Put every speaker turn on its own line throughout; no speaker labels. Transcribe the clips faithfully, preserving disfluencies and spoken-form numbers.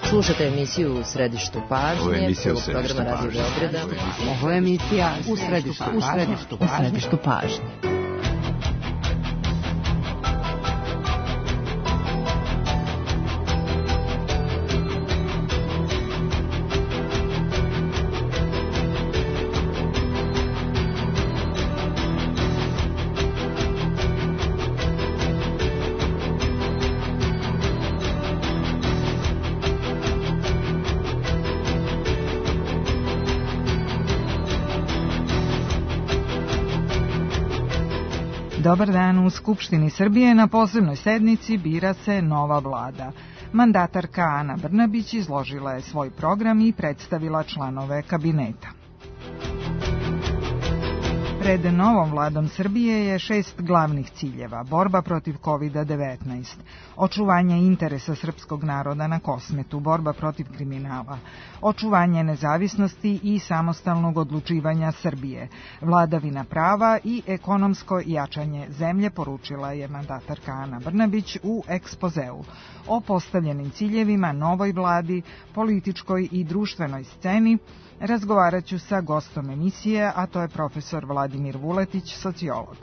Slušate emisiju U središtu pažnje, prvog programa Radio Beograda.
Ovo je emisija U središtu pažnje. U središtu pažnje.
Dobar dan. U Skupštini Srbije na posebnoj sednici bira se nova vlada. Mandatarka Ana Brnabić izložila je svoj program i predstavila članove kabineta. Pred novom vladom Srbije je šest glavnih ciljeva: borba protiv kovid devetnaest, očuvanje interesa srpskog naroda na Kosmetu, borba protiv kriminala, očuvanje nezavisnosti i samostalnog odlučivanja Srbije, vladavina prava i ekonomsko jačanje zemlje, poručila je mandatarka Ana Brnabić u ekspozeu. O postavljenim ciljevima novoj vladi, političkoj i društvenoj sceni razgovarat ću sa gostom emisije, a to je profesor Vladimir Vuletić, sociolog.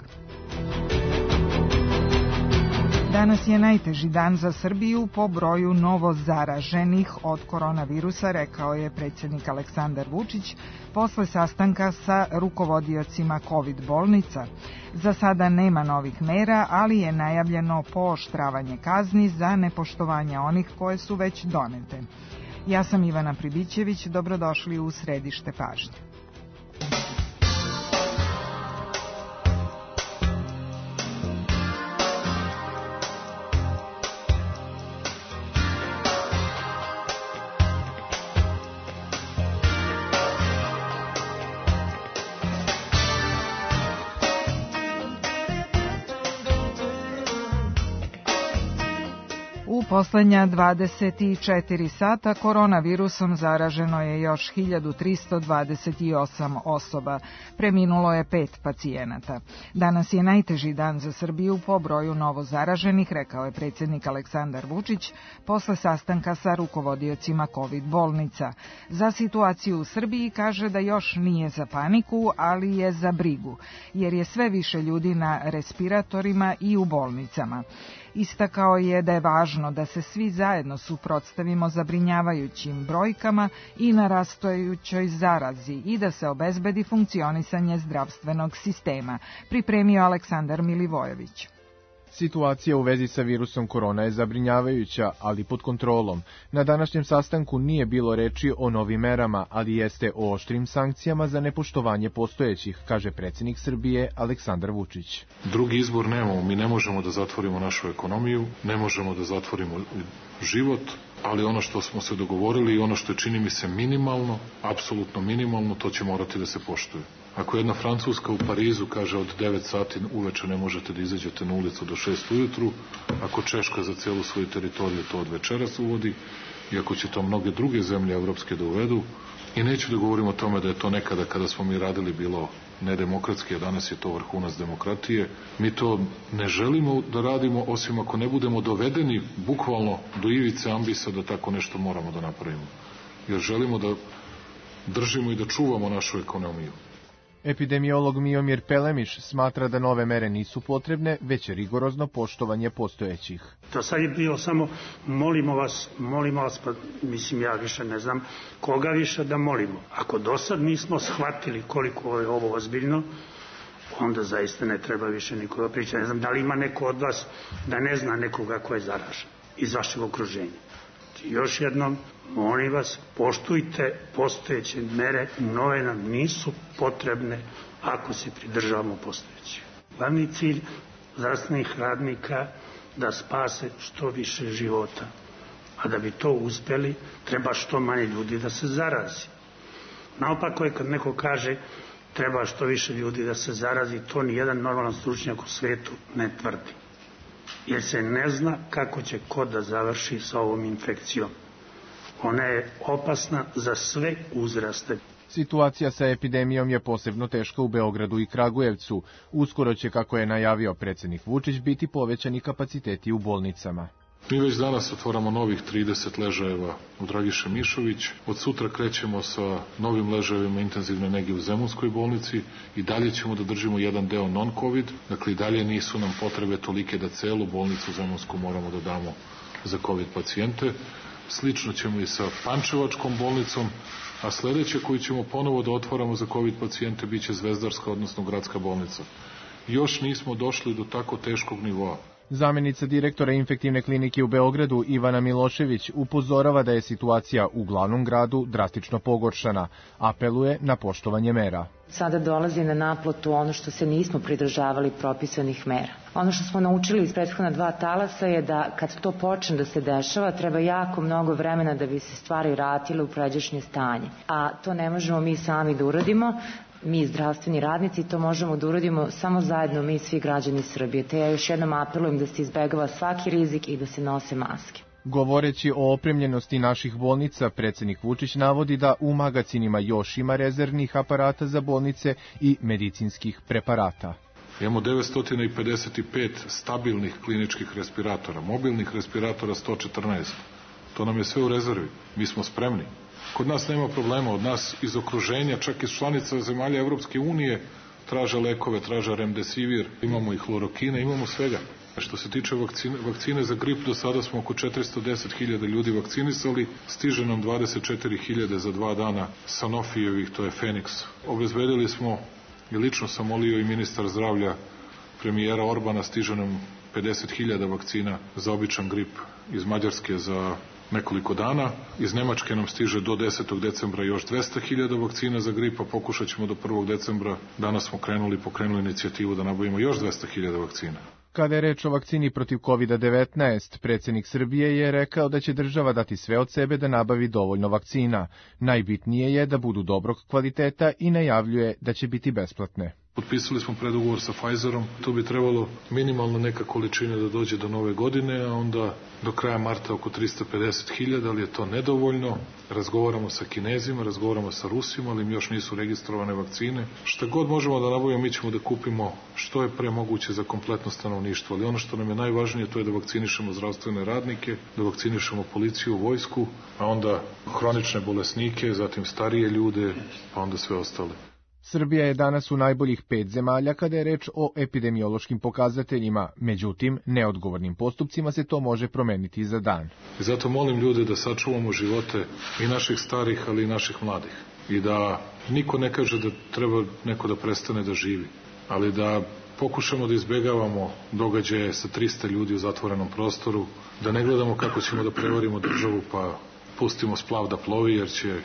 Danas je najteži dan za Srbiju po broju novo zaraženih od koronavirusa, rekao je predsjednik Aleksandar Vučić posle sastanka sa rukovodiocima kovid bolnica. Za sada nema novih mera, ali je najavljeno pooštravanje kazni za nepoštovanje onih koje su već donete. Ja sam Ivana Pribićević, dobrodošli u središte pažnje. U poslednja dvadeset četiri sata koronavirusom zaraženo je još hiljadu tristo dvadeset osam osoba. Preminulo je pet pacijenata. Danas je najteži dan za Srbiju po broju novo zaraženih, rekao je predsjednik Aleksandar Vučić posle sastanka sa rukovodiocima kovid bolnica. Za situaciju u Srbiji kaže da još nije za paniku, ali je za brigu, jer je sve više ljudi na respiratorima i u bolnicama. Istakao je da je važno da se svi zajedno suprotstavimo zabrinjavajućim brojkama i narastajućoj zarazi i da se obezbedi funkcionisanje zdravstvenog sistema, pripremio Aleksandar Milivojević.
Situacija u vezi sa virusom korona je zabrinjavajuća, ali pod kontrolom. Na današnjem sastanku nije bilo reči o novim merama, ali jeste o oštrim sankcijama za nepoštovanje postojećih, kaže predsjednik Srbije Aleksandar Vučić.
Drugi izbor nemamo, mi ne možemo da zatvorimo našu ekonomiju, ne možemo da zatvorimo život, ali ono što smo se dogovorili i ono što je, čini mi se, minimalno, apsolutno minimalno, to će morati da se poštuje. Ako jedna Francuska u Parizu kaže od devet sati uveče ne možete da izađete na ulicu do šest ujutru, ako Češka za celu svoju teritoriju to od večeras uvodi, i ako će to mnoge druge zemlje evropske da uvedu, i neću da govorim o tome da je to nekada kada smo mi radili bilo nedemokratski, a danas je to vrhunac demokratije, mi to ne želimo da radimo osim ako ne budemo dovedeni bukvalno do ivice ambisa da tako nešto moramo da napravimo. Jer želimo da držimo i da čuvamo našu ekonomiju.
Epidemiolog Miomir Pelemiš smatra da nove mere nisu potrebne, već je rigorozno poštovanje postojećih.
To sad je bilo samo molimo vas, molimo vas, pa mislim ja više ne znam koga više da molimo. Ako do sad nismo shvatili koliko je ovo ozbiljno, onda zaista ne treba više nikoga pričati. Ne znam da li ima neko od vas da ne zna nekoga ko je zaražen iz vašeg okruženja. Još jednom, molim vas, poštujte postojeće mere, nove nam nisu potrebne ako se pridržavamo postojećih. Glavni cilj zdravstvenih radnika da spase što više života, a da bi to uspeli treba što manje ljudi da se zarazi. Naopako je kad neko kaže treba što više ljudi da se zarazi, to nijedan normalan stručnjak u svetu ne tvrdi. Jer se ne zna kako će ko da završi sa ovom infekcijom. Ona je opasna za sve uzraste.
Situacija sa epidemijom je posebno teška u Beogradu i Kragujevcu. Uskoro će, kako je najavio predsjednik Vučić, biti povećani kapaciteti u bolnicama.
Mi već danas otvaramo novih trideset ležajeva u Dragiše Mišović. Od sutra krećemo sa novim ležajevima intenzivne nege u Zemunskoj bolnici i dalje ćemo da držimo jedan deo non-covid. Dakle, i dalje nisu nam potrebe tolike da celu bolnicu Zemunsku moramo da damo za covid pacijente. Slično ćemo i sa Pančevačkom bolnicom, a sledeće koju ćemo ponovo da otvaramo za covid pacijente biće Zvezdarska, odnosno gradska bolnica. Još nismo došli do tako teškog nivoa.
Zamenica direktora infektivne klinike u Beogradu Ivana Milošević upozorava da je situacija u glavnom gradu drastično pogoršana. Apeluje na poštovanje mera.
Sada dolazi na naplatu ono što se nismo pridržavali propisanih mera. Ono što smo naučili iz prethodna dva talasa je da kad to počne da se dešava, treba jako mnogo vremena da bi se stvari vratile u pređašnje stanje. A to ne možemo mi sami da uradimo. Mi, zdravstveni radnici, to možemo da uradimo samo zajedno mi, svi građani Srbije. Te ja još jednom apelujem da se izbegava svaki rizik i da se nose maske.
Govoreći o opremljenosti naših bolnica, predsjednik Vučić navodi da u magacinima još ima rezervnih aparata za bolnice i medicinskih preparata.
Imamo devetsto pedeset pet stabilnih kliničkih respiratora, mobilnih respiratora sto četrnaest. To nam je sve u rezervi. Mi smo spremni. Kod nas nema problema, od nas iz okruženja, čak iz članica zemalja Evropske unije, traže lekove, traže remdesivir, imamo i hlorokine, imamo svega. Što se tiče vakcine, vakcine za grip, do sada smo oko četiristo deset hiljada ljudi vakcinisali, stiže nam dvadeset četiri hiljade za dva dana Sanofijevih, to je Feniks. Obezbedili smo, i lično sam molio i ministar zdravlja premijera Orbana, stiže nam pedeset hiljada vakcina za običan grip iz Mađarske za nekoliko dana. Iz Nemačke nam stiže do desetog decembra još dvesta hiljada vakcina za grip, a pokušat ćemo do prvog decembra. Danas smo krenuli, pokrenuli inicijativu da nabavimo još dvesta hiljada vakcina.
Kada je reč o vakcini protiv kovid devetnaest, predsjednik Srbije je rekao da će država dati sve od sebe da nabavi dovoljno vakcina. Najbitnije je da budu dobrog kvaliteta i najavljuje da će biti besplatne.
Potpisali smo predugovor sa Pfizerom, tu bi trebalo minimalno neka količina da dođe do nove godine, a onda do kraja marta oko tristo pedeset hiljada, ali je to nedovoljno. Razgovaramo sa Kinezima, razgovaramo sa Rusima, ali im još nisu registrovane vakcine. Šta god možemo da nabavimo, mi ćemo da kupimo što je pre moguće za kompletno stanovništvo, ali ono što nam je najvažnije to je da vakcinišemo zdravstvene radnike, da vakcinišemo policiju, vojsku, a onda hronične bolesnike, zatim starije ljude, pa onda sve ostale.
Srbija je danas u najboljih pet zemalja kada je reč o epidemiološkim pokazateljima, međutim, neodgovornim postupcima se to može promeniti za dan.
I zato molim ljude da sačuvamo živote i naših starih, ali i naših mladih. I da niko ne kaže da treba neko da prestane da živi, ali da pokušamo da izbegavamo događaje sa trista ljudi u zatvorenom prostoru, da ne gledamo kako ćemo da prevarimo državu pa pustimo splav da plovi, jer će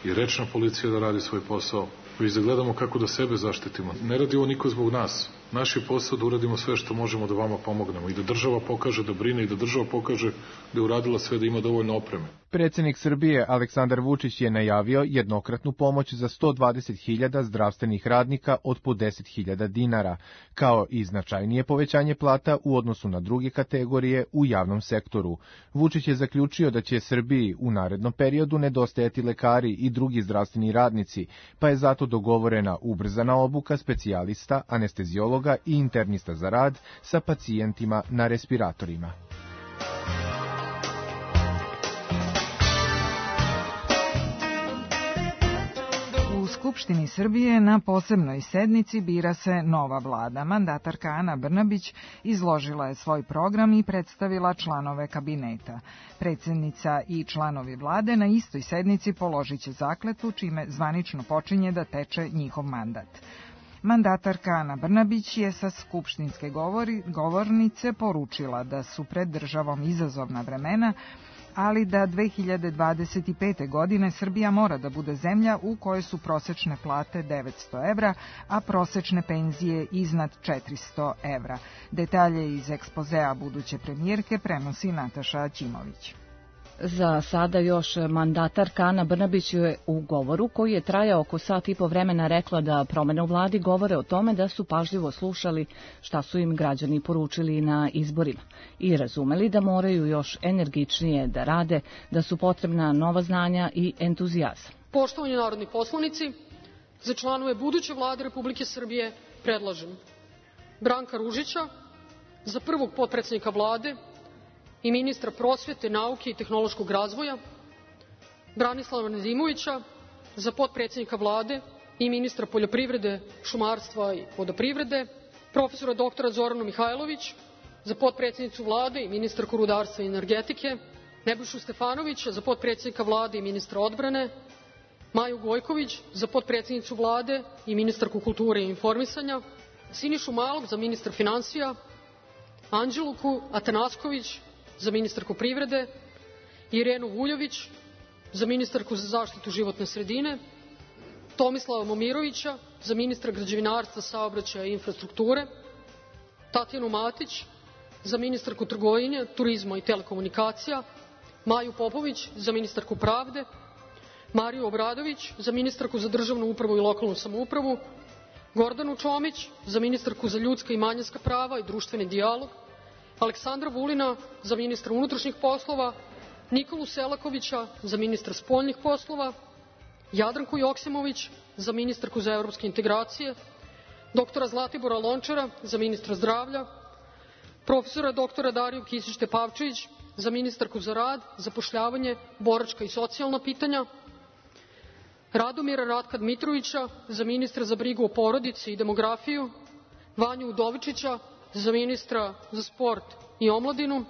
i rečna policija da radi svoj posao, već da gledamo kako da sebe zaštitimo. Ne radi ovo niko zbog nas. Naš je posao da uradimo sve što možemo da vama pomognemo i da država pokaže da brine i da država pokaže da je uradila sve da ima dovoljno opreme.
Predsjednik Srbije Aleksandar Vučić je najavio jednokratnu pomoć za sto dvadeset hiljada zdravstvenih radnika od po deset hiljada dinara, kao i značajnije povećanje plata u odnosu na druge kategorije u javnom sektoru. Vučić je zaključio da će Srbiji u narednom periodu nedostajati lekari i drugi zdravstveni radnici, pa je zato dogovorena ubrzana obuka specijalista, anesteziologa i internista za rad sa pacijentima na respiratorima.
U Skupštini Srbije na posebnoj sednici bira se nova vlada. Mandatarka Ana Brnabić izložila je svoj program i predstavila članove kabineta. Predsjednica i članovi vlade na istoj sednici položit će zakletvu, čime zvanično počinje da teče njihov mandat. Mandatarka Ana Brnabić je sa skupštinske govori, govornice poručila da su pred državom izazovna vremena, ali da dve hiljade dvadeset pete. godine Srbija mora da bude zemlja u kojoj su prosečne plate devetsto evra, a prosečne penzije iznad četiristo evra. Detalje iz ekspozea buduće premijerke prenosi Nataša Ćimović.
Za sada još mandatarka Ana Brnabić je u govoru koji je trajao oko sat i po vremena rekla da promene u vladi govore o tome da su pažljivo slušali šta su im građani poručili na izborima i razumeli da moraju još energičnije da rade, da su potrebna nova znanja i entuzijazam.
Poštovani narodni poslanici, za članove buduće vlade Republike Srbije predlažem Branka Ružića za prvog potpredsednika vlade i ministra prosvete, nauke i tehnološkog razvoja, Branislava Nedimovića za potpredsjednika Vlade i ministra poljoprivrede, šumarstva i vodoprivrede, profesora doktora Zoranu Mihajlović za potpredsjednicu Vlade i ministarku rudarstva i energetike, Nebojšu Stefanovića za potpredsjednika Vlade i ministra odbrane, Maju Gojković za potpredsjednicu Vlade i ministarku kulture i informisanja, Sinišu Malog za ministra finansija, Anđeluku Atanasković za ministarku privrede, Irenu Vuljović za ministarku za zaštitu životne sredine, Tomislava Momirovića za ministra građevinarstva, saobraćaja i infrastrukture, Tatjanu Matić za ministarku trgovine, turizma i telekomunikacija, Maju Popović za ministarku pravde, Mariju Obradović za ministarku za državnu upravu i lokalnu samoupravu, Gordanu Čomić za ministarku za ljudska i manjinska prava i društveni dijalog, Aleksandra Vulina za ministra unutrašnjih poslova, Nikolu Selakovića za ministra spoljnih poslova, Jadranku Joksimović za ministarku za evropske integracije, doktora Zlatibora Lončara za ministra zdravlja, profesora doktora Dariju Kisić Tepavčević za ministarku za rad, zapošljavanje, boračka i socijalna pitanja, Radomira Ratka Dmitrovića za ministra za brigu o porodici i demografiju, Vanju Udovičića za ministra za sport i omladinu,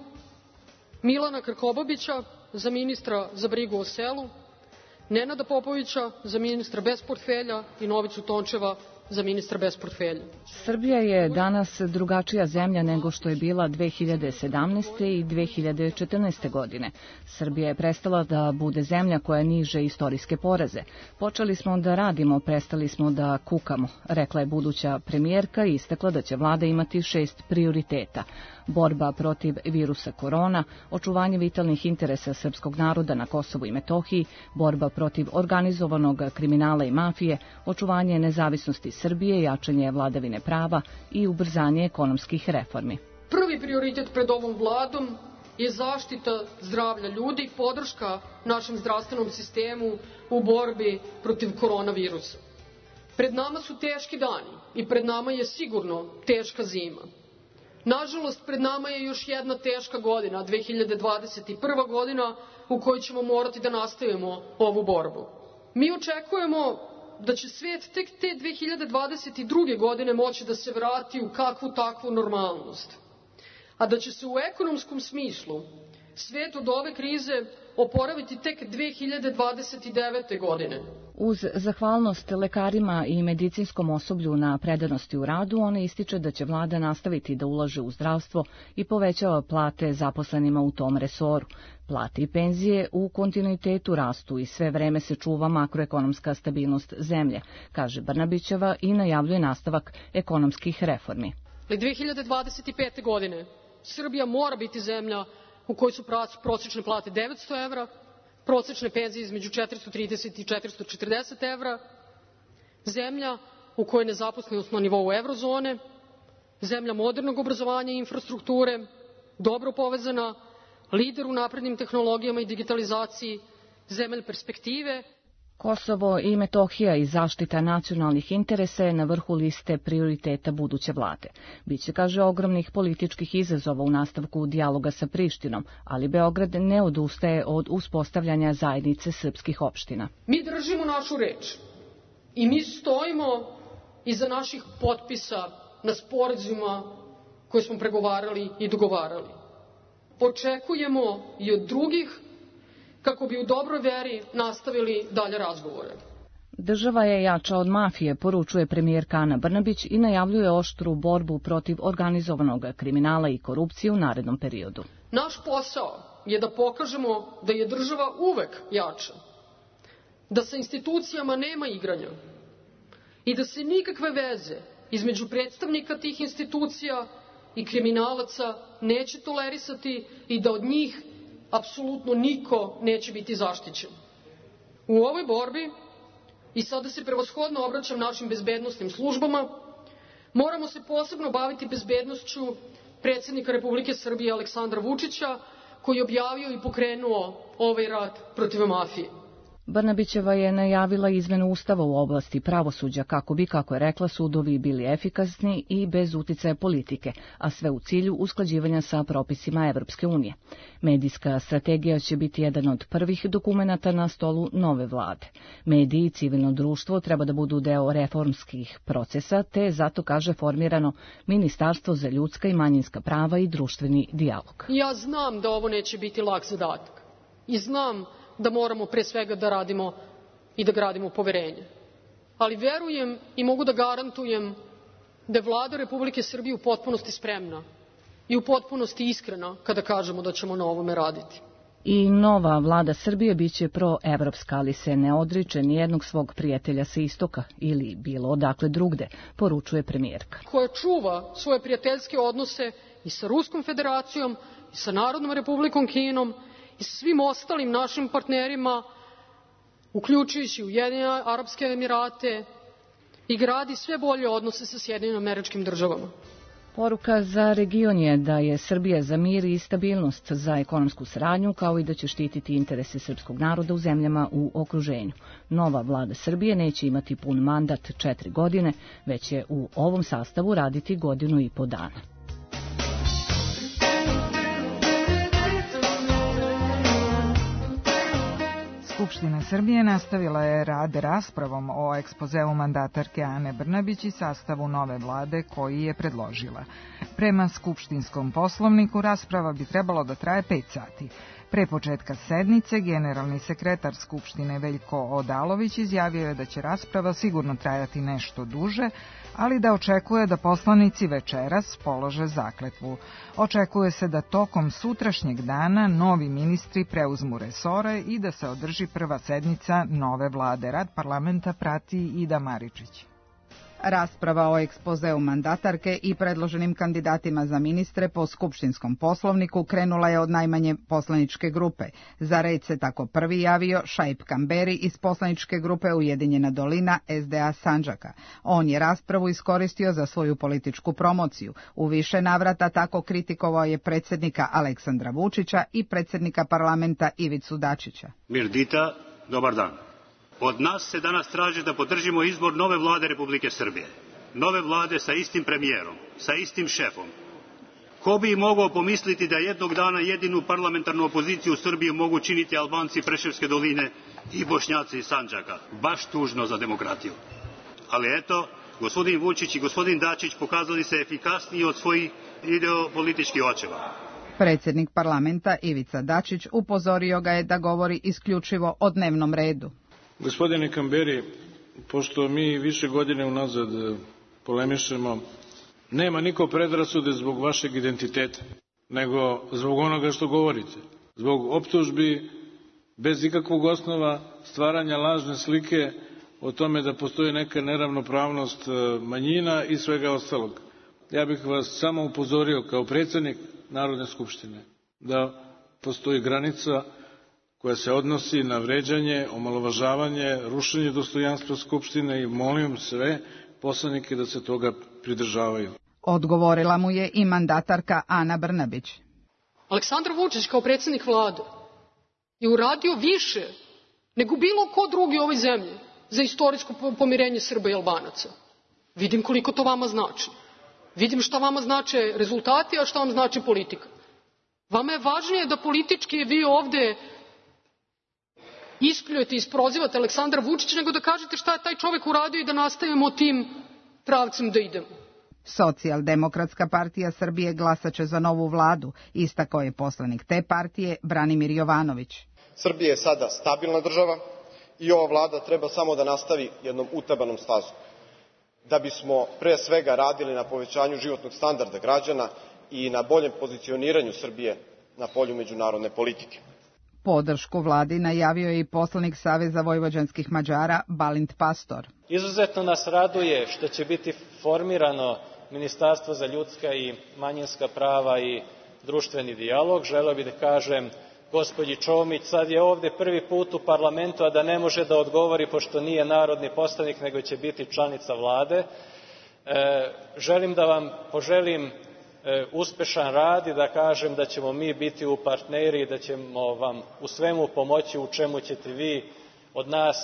Milana Krkobabića za ministra za brigu o selu, Nenada Popovića za ministra bez portfelja i Novicu Tončeva za ministra bez portfelja.
Srbija je danas drugačija zemlja nego što je bila dve hiljade sedamnaeste. i dve hiljade četrnaeste. godine. Srbija je prestala da bude zemlja koja niže istorijske poraze. Počeli smo da radimo, prestali smo da kukamo, rekla je buduća premijerka i istakla da će vlada imati šest prioriteta. Borba protiv virusa korona, očuvanje vitalnih interesa srpskog naroda na Kosovu i Metohiji, borba protiv organizovanog kriminala i mafije, očuvanje nezavisnosti Srbije, jačanje vladavine prava i ubrzanje ekonomskih reformi.
Prvi prioritet pred ovom vladom je zaštita zdravlja ljudi, podrška našem zdravstvenom sistemu u borbi protiv koronavirusa. Pred nama su teški dani i pred nama je sigurno teška zima. Nažalost, pred nama je još jedna teška godina, dve hiljade dvadeset prva. godina, u kojoj ćemo morati da nastavimo ovu borbu. Mi očekujemo da će svet tek te dve hiljade dvadeset druge. godine moći da se vrati u kakvu takvu normalnost, a da će se u ekonomskom smislu svet od ove krize oporaviti tek dve hiljade dvadeset devete. godine.
Uz zahvalnost lekarima i medicinskom osoblju na predanosti u radu, ona ističe da će vlada nastaviti da ulaže u zdravstvo i povećava plate zaposlenima u tom resoru. Plate i penzije u kontinuitetu rastu i sve vreme se čuva makroekonomska stabilnost zemlje, kaže Brnabićeva i najavljuje nastavak ekonomskih reformi.
dve hiljade dvadeset pete. godine Srbija mora biti zemlja u kojoj su prosečne plate devetsto evra, prosečne penzije između četiristo trideset i četiristo četrdeset evra, zemlja u kojoj je nezaposlenost na nivou evrozone, zemlja modernog obrazovanja i infrastrukture, dobro povezana, lider u naprednim tehnologijama i digitalizaciji, zemlja perspektive.
Kosovo i Metohija i zaštita nacionalnih interesa je na vrhu liste prioriteta buduće vlade. Biće, kaže, ogromnih političkih izazova u nastavku dijaloga sa Prištinom, ali Beograd ne odustaje od uspostavljanja zajednice srpskih opština.
Mi držimo našu reč i mi stojimo iza naših potpisa na sporazumima koje smo pregovarali i dogovarali. Očekujemo i od drugih kako bi u dobroj veri nastavili dalje razgovore.
Država je jača od mafije, poručuje premijerka Ana Brnabić i najavljuje oštru borbu protiv organizovanog kriminala i korupcije u narednom periodu.
Naš posao je da pokažemo da je država uvek jača, da sa institucijama nema igranja i da se nikakve veze između predstavnika tih institucija i kriminalaca neće tolerisati i da od njih apsolutno niko neće biti zaštićen. U ovoj borbi, i sada se prevashodno obraćam našim bezbednosnim službama, moramo se posebno baviti bezbednošću predsjednika Republike Srbije Aleksandra Vučića, koji je objavio i pokrenuo ovaj rat protiv mafije.
Brnabićeva je najavila izmenu ustava u oblasti pravosuđa kako bi, kako je rekla, sudovi bili efikasni i bez uticaja politike, a sve u cilju usklađivanja sa propisima Evropske unije. Medijska strategija će biti jedan od prvih dokumenata na stolu nove vlade. Mediji i civilno društvo treba da budu deo reformskih procesa, te zato, kaže, formirano Ministarstvo za ljudska i manjinska prava i društveni dijalog.
Ja znam da ovo neće biti lak zadatak i znam da moramo pre svega da radimo i da gradimo poverenje. Ali verujem i mogu da garantujem da je Vlada Republike Srbije u potpunosti spremna i u potpunosti iskrena kada kažemo da ćemo na ovome raditi.
I nova vlada Srbije biće proevropska, ali se ne odriče nijednog svog prijatelja sa istoka ili bilo odakle drugde, poručuje premijerka.
Koja čuva svoje prijateljske odnose i sa Ruskom federacijom, i sa Narodnom republikom Kinom, i sa svim ostalim našim partnerima, uključujući Ujedinjene Arapske Emirate, i gradi sve bolje odnose sa Sjedinjenim Američkim Državama.
Poruka za region je da je Srbija za mir i stabilnost, za ekonomsku saradnju, kao i da će štititi interese srpskog naroda u zemljama u okruženju. Nova vlada Srbije neće imati pun mandat četiri godine, već će u ovom sastavu raditi godinu i po dana.
Skupština Srbije nastavila je rad raspravom o ekspozeu mandatarke Ane Brnabić i sastavu nove vlade koji je predložila. Prema skupštinskom poslovniku rasprava bi trebalo da traje pet sati. Pre početka sednice, generalni sekretar Skupštine Veljko Odalović izjavio je da će rasprava sigurno trajati nešto duže, ali da očekuje da poslanici večeras polože zakletvu. Očekuje se da tokom sutrašnjeg dana novi ministri preuzmu resore i da se održi prva sednica nove vlade. Rad parlamenta prati Ida Maričić.
Rasprava o ekspozeu mandatarke i predloženim kandidatima za ministre po skupštinskom poslovniku krenula je od najmanje poslaničke grupe. Za red se tako prvi javio Šaip Kamberi iz poslaničke grupe Ujedinjena dolina S D A Sandžaka. On je raspravu iskoristio za svoju političku promociju. U više navrata tako kritikovao je predsjednika Aleksandra Vučića i predsjednika parlamenta Ivicu Dačića.
Mirdita, dobar dan. Od nas se danas traži da podržimo izbor nove vlade Republike Srbije. Nove vlade sa istim premijerom, sa istim šefom. Ko bi mogao pomisliti da jednog dana jedinu parlamentarnu opoziciju u Srbiji mogu činiti Albanci Preševske doline i Bošnjaci iz Sandžaka. Baš tužno za demokratiju. Ali eto, gospodin Vučić i gospodin Dačić pokazali se efikasniji od svojih ideopolitičkih očeva.
Predsjednik parlamenta Ivica Dačić upozorio ga je da govori isključivo o dnevnom redu.
Gospodine Kamberi, pošto mi više godine unazad polemišemo, nema niko predrasude zbog vašeg identiteta, nego zbog onoga što govorite. Zbog optužbi, bez ikakvog osnova, stvaranja lažne slike o tome da postoji neka neravnopravnost manjina i svega ostalog. Ja bih vas samo upozorio kao predsjednik Narodne skupštine da postoji granica koja se odnosi na vređanje, omalovažavanje, rušenje dostojanstva Skupštine i molim sve poslanike da se toga pridržavaju.
Odgovorila mu je i mandatarka Ana Brnabić.
Aleksandar Vučić kao predsjednik vlade je uradio više nego bilo ko drugi u ovoj zemlji za istorijsko pomirenje Srba i Albanaca. Vidim koliko to vama znači. Vidim šta vama znače rezultati, a šta vam znači politika. Vama je važnije da politički vi ovde ispljujete i isprozivate Aleksandra Vučića, nego da kažete šta je taj čovjek uradio i da nastavimo tim pravcem da idemo.
Socijaldemokratska partija Srbije glasaće za novu vladu, istakao je poslanik te partije Branimir Jovanović.
Srbija je sada stabilna država i ova vlada treba samo da nastavi jednom utabanom stazom. Da bismo pre svega radili na povećanju životnog standarda građana i na boljem pozicioniranju Srbije na polju međunarodne politike.
Podršku vladi najavio je i poslanik Saveza vojvođanskih Mađara Balint Pastor.
Izuzetno nas raduje što će biti formirano Ministarstvo za ljudska i manjinska prava i društveni dijalog. Želeo bih da kažem gospođi Čomić, sad je ovde prvi put u parlamentu, a da ne može da odgovori pošto nije narodni poslanik, nego će biti članica vlade. E, želim da vam poželim uspešan rad i da kažem da ćemo mi biti u partneri i da ćemo vam u svemu pomoći u čemu ćete vi od nas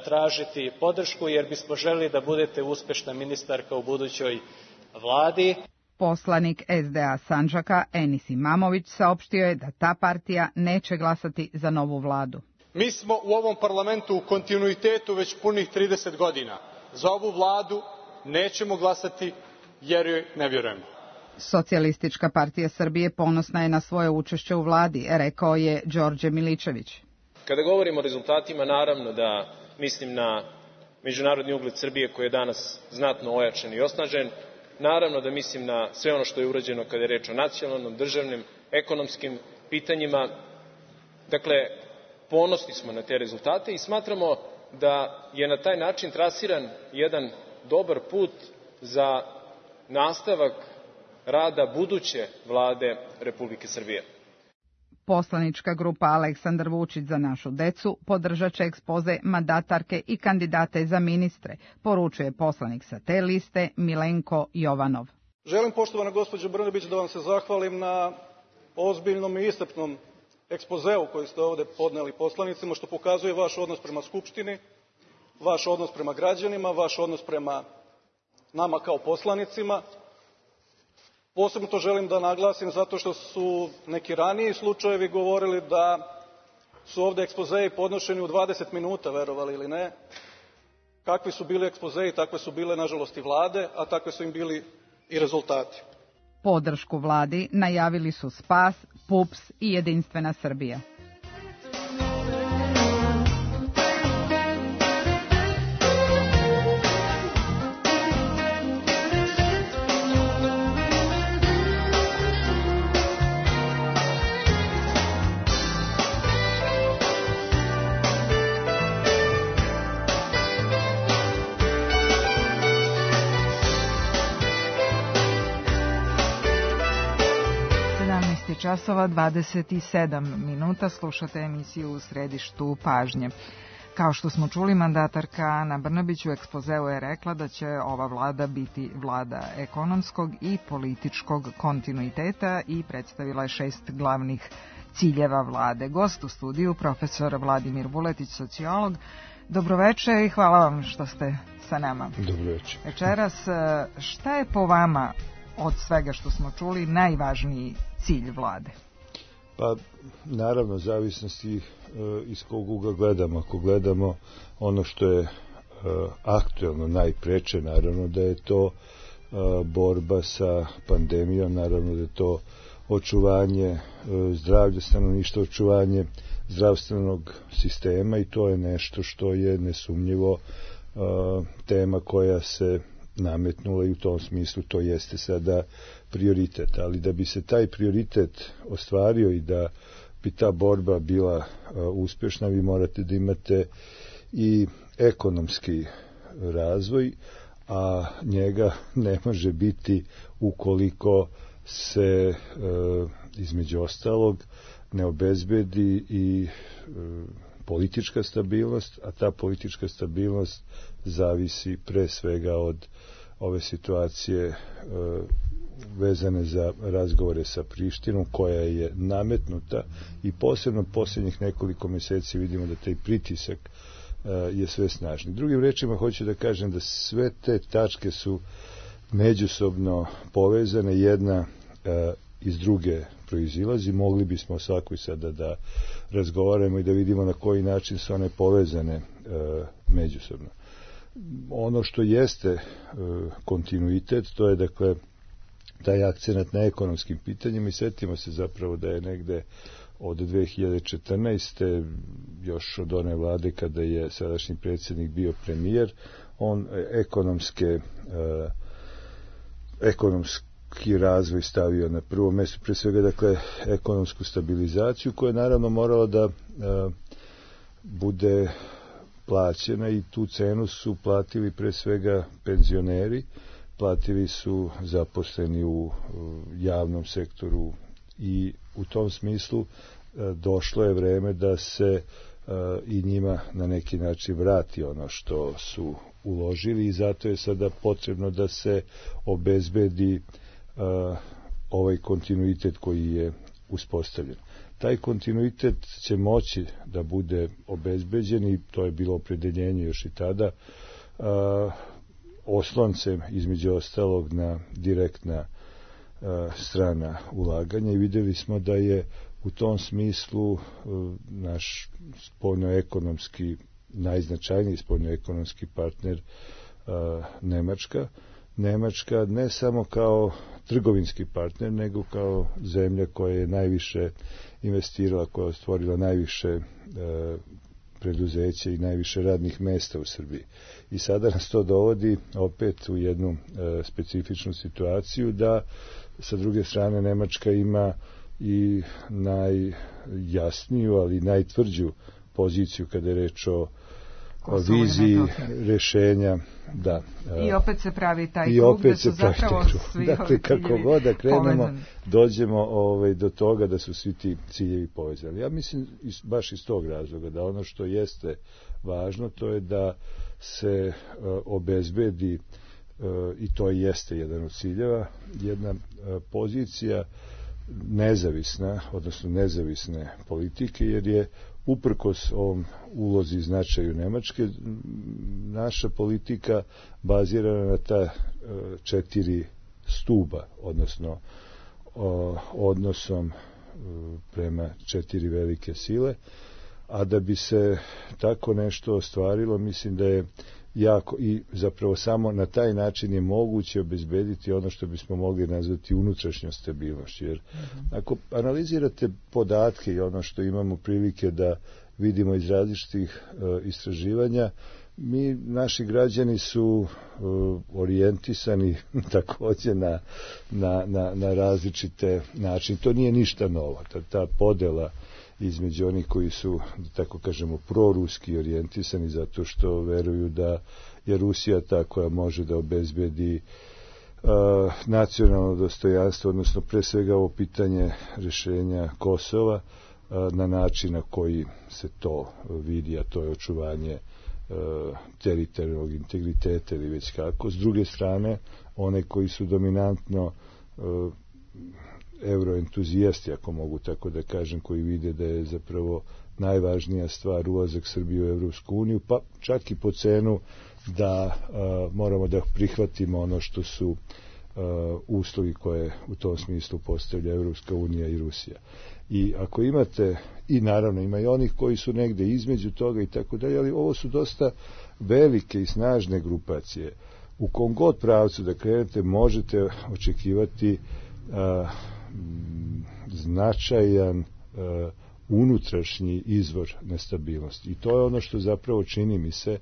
tražiti podršku, jer bismo želeli da budete uspešna ministarka u budućoj vladi.
Poslanik es de a Sandžaka Enis Imamović saopštio je da ta partija neće glasati za novu vladu.
Mi smo u ovom parlamentu u kontinuitetu već punih trideset godina. Za ovu vladu nećemo glasati jer joj ne vjerujemo.
Socijalistička partija Srbije ponosna je na svoje učešće u vladi, rekao je Đorđe Miličević.
Kada govorimo o rezultatima, naravno da mislim na međunarodni ugled Srbije koji je danas znatno ojačan i osnažen. Naravno da mislim na sve ono što je urađeno kada je reč o nacionalnom, državnim, ekonomskim pitanjima. Dakle, ponosni smo na te rezultate i smatramo da je na taj način trasiran jedan dobar put za nastavak rada buduće vlade Republike Srbije.
Poslanička grupa Aleksandar Vučić za našu decu podržat će ekspoze mandatarke i kandidate za ministre, poručuje poslanik sa te liste Milenko Jovanov.
Želim, poštovana gospođo Brnabić, da vam se zahvalim na ozbiljnom i iscrpnom ekspozeu koji ste ovde podneli poslanicima, što pokazuje vaš odnos prema Skupštini, vaš odnos prema građanima, vaš odnos prema nama kao poslanicima. Posebno to želim da naglasim zato što su neki raniji slučajevi govorili da su ovde ekspozeji podnošeni u dvadeset minuta, verovali ili ne. Kakvi su bili ekspozeji, takve su bile, nažalost, i vlade, a takve su im bili i rezultati.
Podršku vladi najavili su Spas, P U P S i Jedinstvena Srbija.
Časova dvadeset sedam minuta, slušate emisiju U središtu pažnje. Kao što smo čuli, mandatarka Ana Brnabić u ekspozeu je rekla da će ova vlada biti vlada ekonomskog i političkog kontinuiteta i predstavila je šest glavnih ciljeva vlade. Gost u studiju, profesor Vladimir Vuletić, sociolog. Dobroveče i hvala vam što ste sa nama.
Dobroveče.
Večeras, šta je po vama od svega što smo čuli najvažniji cilj vlade?
Pa, naravno, zavisnosti e, iz kog ugla gledamo. Ako gledamo ono što je e, aktuelno najpreče, naravno da je to e, borba sa pandemijom, naravno da je to očuvanje e, zdravlja stanovništva, očuvanje zdravstvenog sistema i to je nešto što je nesumnjivo e, tema koja se nametnula i u tom smislu to jeste sada prioritet. Ali da bi se taj prioritet ostvario i da bi ta borba bila uh, uspješna, vi morate da imate i ekonomski razvoj, a njega ne može biti ukoliko se uh, između ostalog ne obezbedi i uh, politička stabilnost, a ta politička stabilnost zavisi pre svega od ove situacije e, vezane za razgovore sa Prištinom, koja je nametnuta i posebno posljednjih nekoliko mjeseci vidimo da taj pritisak e, je sve snažni. Drugim rečima hoću da kažem da sve te tačke su međusobno povezane, jedna e, iz druge proizilazi. Mogli bismo svakoj sada da razgovaramo i da vidimo na koji način su one povezane e, međusobno. Ono što jeste e, kontinuitet, to je dakle taj akcenat na ekonomskim pitanjima i setimo se zapravo da je negde od dve hiljade četrnaeste još od one vlade kada je sadašnji predsjednik bio premijer, on ekonomske e, ekonomski razvoj stavio na prvo mjesto, pre svega dakle ekonomsku stabilizaciju koja je naravno morala da e, bude plaćena i tu cenu su platili pre svega penzioneri, platili su zaposleni u javnom sektoru i u tom smislu došlo je vreme da se i njima na neki način vrati ono što su uložili i zato je sada potrebno da se obezbedi ovaj kontinuitet koji je uspostavljen. Taj kontinuitet će moći da bude obezbeđen i to je bilo opredeljenje još i tada a, osloncem između ostalog na direktna a, strana ulaganja i videli smo da je u tom smislu a, naš spoljnoekonomski najznačajniji spoljnoekonomski partner a, Nemačka. Nemačka ne samo kao trgovinski partner, nego kao zemlja koja je najviše investirala, koja je stvorila najviše e, preduzeća i najviše radnih mesta u Srbiji. I sada nas to dovodi opet u jednu e, specifičnu situaciju da sa druge strane Nemačka ima i najjasniju, ali najtvrđu poziciju kada je reč o o viziji rešenja, da.
I opet se pravi taj krug da su zapravo svi
dakle, kako god da krenemo, dođemo ovaj, do toga da su svi ti ciljevi povezani. Ja mislim baš iz tog razloga da ono što jeste važno, to je da se uh, obezbedi uh, i to jeste jedan od ciljeva, jedna uh, pozicija nezavisna, odnosno nezavisne politike, jer je uprkos ovom ulozi i značaju Nemačke, naša politika bazirana na ta četiri stuba, odnosno odnosom prema četiri velike sile, a da bi se tako nešto ostvarilo, mislim da je jako i zapravo samo na taj način je moguće obezbediti ono što bismo mogli nazvati unutrašnjom stabilnošću. Jer ako analizirate podatke i ono što imamo prilike da vidimo iz različitih uh, istraživanja, mi, naši građani su uh, orijentisani takođe na, na, na, na različite načine. To nije ništa novo. Ta, ta podela između onih koji su, da tako kažemo, proruski orijentisani zato što veruju da je Rusija ta koja može da obezbedi uh, nacionalno dostojanstvo, odnosno pre svega ovo pitanje rešenja Kosova uh, na način na koji se to vidi, a to je očuvanje uh, teritorijalnog integriteta ili već kako. S druge strane, one koji su dominantno uh, euroentuzijasti, ako mogu tako da kažem, koji vide da je zapravo najvažnija stvar ulazak Srbije u Evropsku uniju, pa čak i po cenu da a, moramo da prihvatimo ono što su a, uslovi koje u tom smislu postavlja Evropska unija i Rusija. I ako imate, i naravno ima i onih koji su negde između toga i tako dalje, ali ovo su dosta velike i snažne grupacije. U kom god pravcu da krenete možete očekivati a, značajan uh, unutrašnji izvor nestabilnosti. I to je ono što zapravo čini mi se...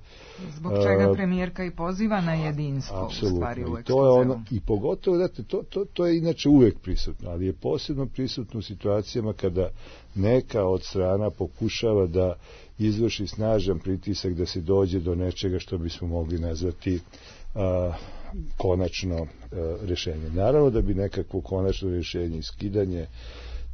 Zbog čega uh, premijerka i poziva na jedinstvo
apsolutno.
U stvari u
I to je ono, i pogotovo, znate, to, to, to je inače uvek prisutno, ali je posebno prisutno u situacijama kada neka od strana pokušava da izvrši snažan pritisak da se dođe do nečega što bismo mogli nazvati uh, konačno uh, rešenje. Naravno da bi nekakvo konačno rešenje i skidanje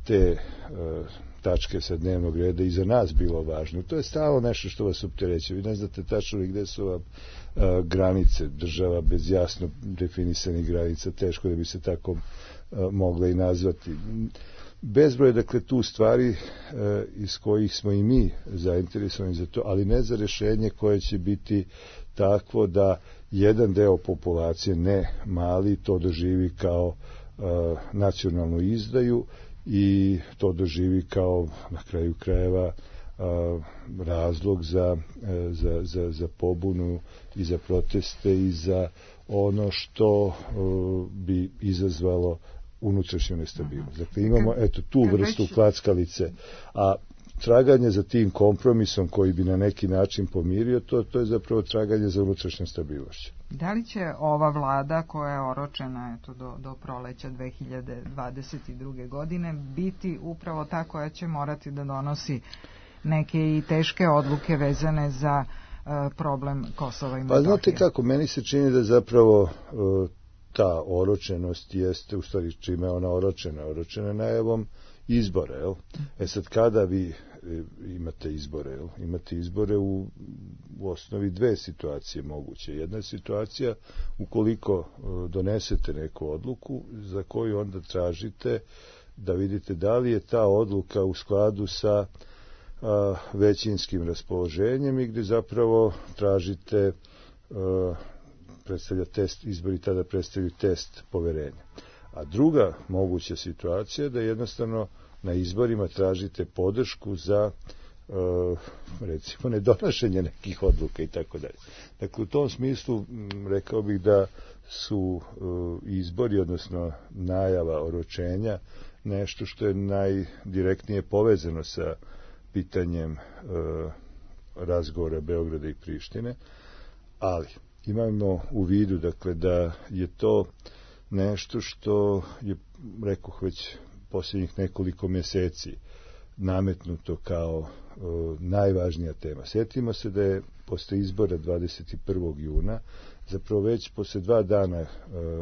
te uh, tačke sa dnevnog reda i za nas bilo važno. To je stalo nešto što vas optereće. Vi ne znate tačno gde su vam uh, granice država bez jasno definisanih granica. Teško da bi se tako uh, mogla i nazvati. Bezbroj, dakle, tu stvari uh, iz kojih smo i mi zainteresovani za to, ali ne za rešenje koje će biti takvo da jedan deo populacije, ne mali, to doživi kao uh, nacionalnu izdaju i to doživi kao na kraju krajeva uh, razlog za, uh, za, za, za pobunu i za proteste i za ono što uh, bi izazvalo unutrašnju nestabilnost. Dakle, imamo eto tu vrstu klackalice, a traganje za tim kompromisom koji bi na neki način pomirio, to, to je zapravo traganje za unutrašnju stabilnošću.
Da li će ova vlada koja je oročena eto, do, do proleća dve hiljade dvadeset druge. godine biti upravo ta koja će morati da donosi neke i teške odluke vezane za uh, problem Kosova i Metohije?
Pa znate kako, meni se čini da zapravo uh, ta oročenost jeste, u stvari čime je ona oročena, oročena najavom izbore, jel? E sad kada vi imate izbore, jel? Imate izbore u, u osnovi dve situacije moguće. Jedna je situacija ukoliko donesete neku odluku za koju onda tražite da vidite da li je ta odluka u skladu sa a, većinskim raspoloženjem i gde zapravo tražite a, predstavlja test, izbori tada predstavljaju test poverenja. A druga moguća situacija je da jednostavno na izborima tražite podršku za recimo nedonošenje nekih odluka i tako dalje. Dakle, u tom smislu rekao bih da su izbori, odnosno najava oročenja, nešto što je najdirektnije povezano sa pitanjem razgovora Beograda i Prištine, ali imamo u vidu, dakle, da je to nešto što je, rekoh, već posljednjih nekoliko mjeseci nametnuto kao e, najvažnija tema. Sjetimo se da je posle izbora dvadeset prvog juna zapravo već posle dva dana e,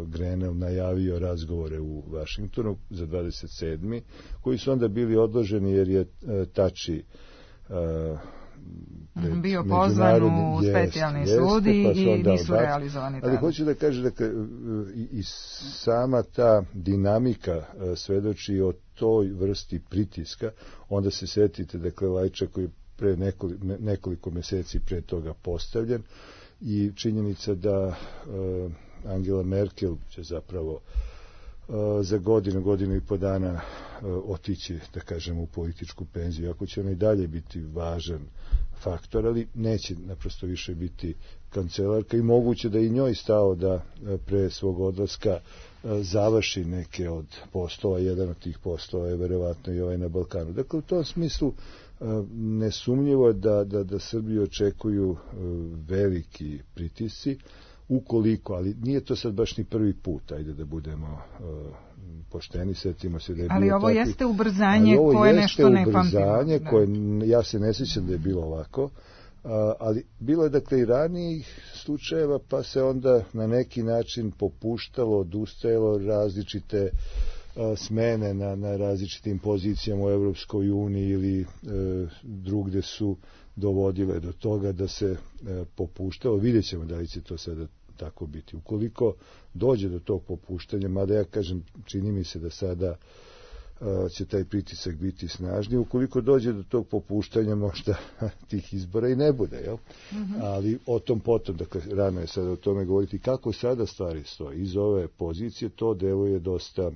Grenell najavio razgovore u Vašingtonu za dvadeset sedmi koji su onda bili odloženi jer je e, Tači e,
bio pozvan u specijalni sud i pa nisu realizovani tada.
Ali hoću da kažem da i, i sama ta dinamika svedoči o toj vrsti pritiska. Onda se setite, dakle, Lajča koji je pre nekoliko, nekoliko mjeseci pre toga postavljen i činjenica da uh, Angela Merkel će zapravo uh, za godinu, godinu i po dana uh, otići, da kažem, u političku penziju. Ako će ona i dalje biti važan faktor, ali neće naprosto više biti kancelarka i moguće da i njoj stao da pre svog odlaska završi neke od poslova. Jedan od tih poslova je verovatno i ovaj na Balkanu. Dakle, u tom smislu nesumnjivo je da, da, da Srbiju očekuju veliki pritisci, ukoliko, ali nije to sad baš ni prvi put, ajde da budemo pošteni, setimo se da je
ali
bilo
ovo
takvi,
jeste ubrzanje koje nešto ne pamtimo.
Ubrzanje koje, ja se ne sjećam da je bilo ovako, ali bilo je, dakle, i ranijih slučajeva, pa se onda na neki način popuštalo, odustajalo, različite smene na, na različitim pozicijama u Evropskoj uniji ili e, drugde su dovodile do toga da se e, popuštalo. Vidjet ćemo da li će to sada tako biti. Ukoliko dođe do tog popuštanja, mada ja kažem, čini mi se da sada uh, će taj pritisak biti snažniji, ukoliko dođe do tog popuštanja možda tih izbora i ne bude, jel? Mm-hmm. Ali o tom potom, dakle, rano je sada o tome govoriti kako sada stvari stoje. Iz ove pozicije to deluje dosta uh,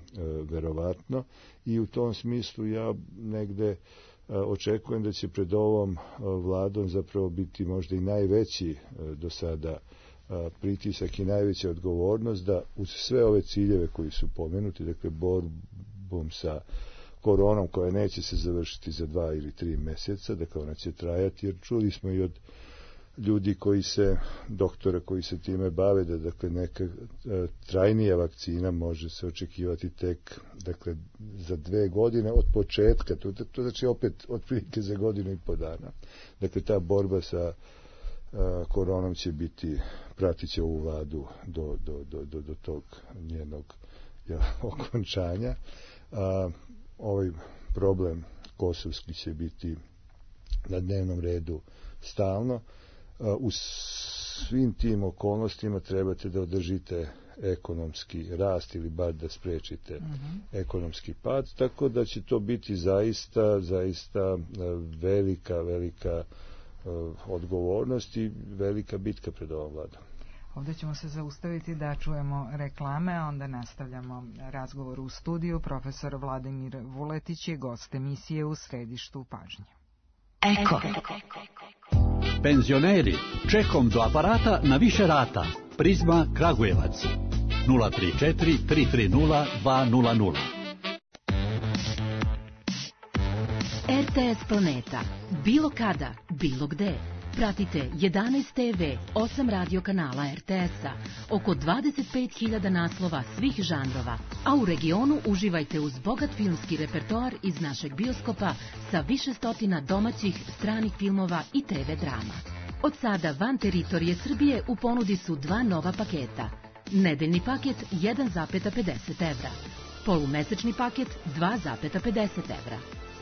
verovatno i u tom smislu ja negde uh, očekujem da će pred ovom uh, vladom zapravo biti možda i najveći uh, do sada pritisak i najveća odgovornost da uz sve ove ciljeve koji su pomenuti, dakle borbom sa koronom koja neće se završiti za dva ili tri mjeseca, dakle ona će trajati, jer čuli smo i od ljudi koji se, doktora koji se time bave, da dakle neka trajnija vakcina može se očekivati tek, dakle, za dve godine od početka, to, to znači opet otprilike za godinu i po dana. Dakle, ta borba sa koronom će biti, pratit će ovu vladu do, do, do, do, do tog njenog ja, okončanja. A, ovaj problem kosovski će biti na dnevnom redu stalno. A, u svim tim okolnostima trebate da održite ekonomski rast ili bar da sprečite mm-hmm. ekonomski pad, tako da će to biti zaista, zaista velika, velika odgovornost i velika bitka pred ovom vladom.
Ovdje ćemo se zaustaviti da čujemo reklame, a onda nastavljamo razgovor u studiju. Profesor Vladimir Vuletić je gost emisije U središtu pažnje.
Eko. Penzioneri, čekom do aparata na više rata. Prizma Kragujevac. nula tri četiri tri tri nula dva nula nula.
R T S Planeta. Bilo kada, bilo gde. Pratite jedanaest te ve, osam radio kanala R T S-a, oko dvadeset pet hiljada naslova svih žanrova, a u regionu uživajte uz bogat filmski repertoar iz našeg bioskopa sa više stotina domaćih, stranih filmova i te ve drama. Od sada van teritorije Srbije u ponudi su dva nova paketa. Nedeljni paket jedan zarez pedeset evra. Polumesečni paket dva zarez pedeset evra.